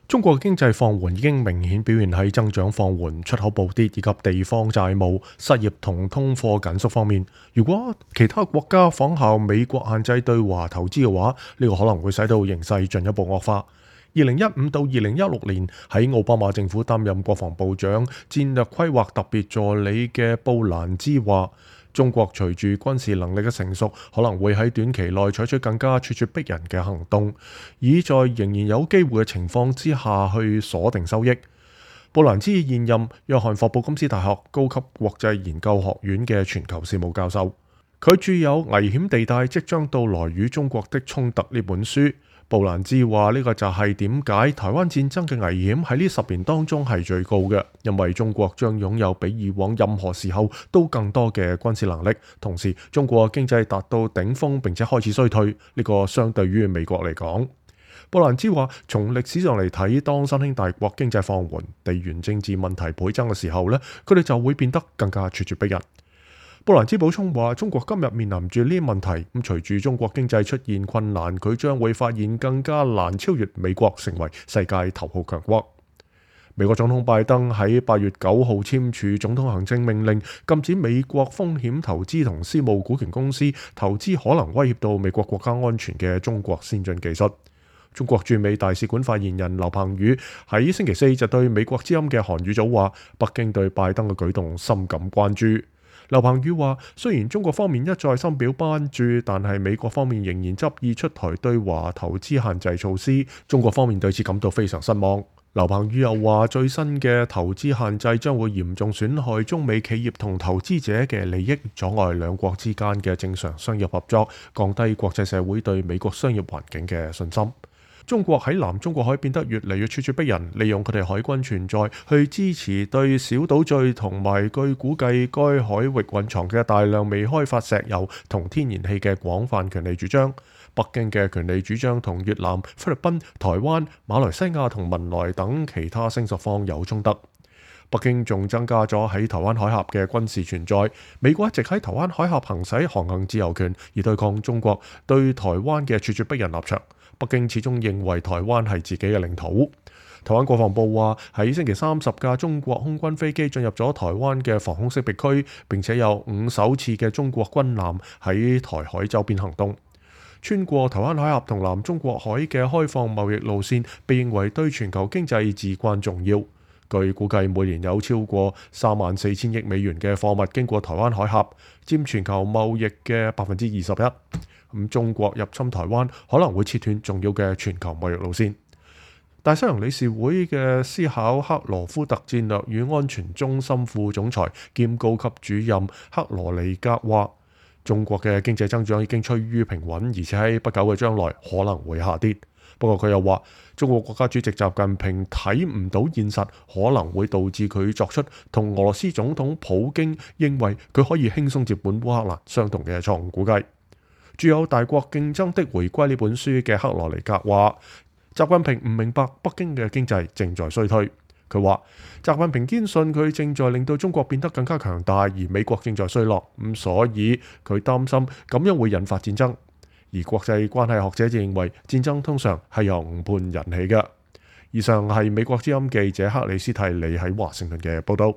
中國經濟放緩已經明顯表現喺增長放緩、出口暴跌以及地方債務、失業同通貨緊縮方面。如果其他國家仿效美國限制對華投資嘅話，呢個可能會使到形勢進一步惡化。2015到2016年喺奧巴馬政府擔任國防部長、戰略規劃特別助理嘅布蘭茲話，中國隨住軍事能力嘅成熟，可能會喺短期內採取更加咄咄逼人嘅行動，以在仍然有機會嘅情況之下去鎖定收益。布蘭茲現任約翰霍普金斯大學高級國際研究學院嘅全球事務教授，佢著有《危險地帶：即將到來與中國的衝突》呢本書。布蘭茲話呢個就係點解台灣戰爭嘅危險喺呢10年當中係最高嘅，因為中國將擁有比以往任何時候都更多嘅軍事能力，同時中國經濟達到頂峰並且開始衰退，呢個相對於美國嚟講。布蘭茲話，從歷史上嚟睇，當新興大國經濟放緩、地緣政治問題倍增嘅時候呢，佢哋就會變得更加咄咄逼人。布蘭茲補充話，中國今日面臨住呢啲問題，咁隨住中國經濟出現困難，佢將會發現更加難超越美國成為世界頭號強國。美國總統拜登喺8月9號簽署總統行政命令，禁止美國風險投資同私募股權公司投資可能威脅到美國國家安全嘅中國先進技術。中國駐美大使館發言人劉鵬宇喺星期4就對美國之音嘅韓語組話，北京對拜登嘅舉動深感關注。劉鵬宇話，雖然中國方面一再深表關注，但係美國方面仍然執意出台對華投資限制措施，中國方面對此感到非常失望。劉鵬宇又話，最新嘅投資限制將會嚴重損害中美企業同投資者嘅利益，阻礙兩國之間嘅正常商業合作，降低國際社會對美國商業環境嘅信心。中國喺南中國海變得越嚟越咄咄逼人，利用佢哋海軍存在去支持對小島嶼同埋據估計該海域蘊藏嘅大量未開發石油同天然氣嘅廣泛權利主張。北京嘅權利主張同越南、菲律賓、台灣、馬來西亞同文萊等其他聲索方有衝突。北京仲增加咗喺台灣海峽嘅軍事存在。美國一直喺台灣海峽行使航行自由權，以對抗中國對台灣嘅咄咄逼人立場。北京始終認為台灣係自己嘅領土。台灣國防部話喺星期30架中國空軍飛機進入咗台灣嘅防空識別區，並且有5艘次嘅中國軍艦喺台海周邊行動。穿過台灣海峽同南中國海嘅開放貿易路線，被認為對全球經濟至關重要。據估計，每年有超過34000億美元嘅貨物經過台灣海峽，佔全球貿易嘅21%。中國入侵台灣可能會切斷重要嘅全球貿易路線。大西洋理事會嘅斯考克羅夫特戰略與安全中心副總裁兼高級主任克羅尼格話，中國嘅經濟增長已經趨於平穩，而且喺不久嘅將來可能會下跌。不過佢又話，中國國家主席習近平睇唔到現實，可能會導致佢作出同俄羅斯總統普京認為佢可以輕鬆接管烏克蘭相同嘅錯誤估計。著有《大國競爭的回歸》呢本書嘅克羅尼格話，習近平唔明白北京嘅經濟正在衰退。佢話，習近平堅信佢正在令到中國變得更加強大，而美國正在衰落，所以佢擔心咁樣會引發戰爭。而國際關係學者就認為，戰爭通常係由誤判引起嘅。以上係美國之音記者克里斯蒂利喺華盛頓嘅報道。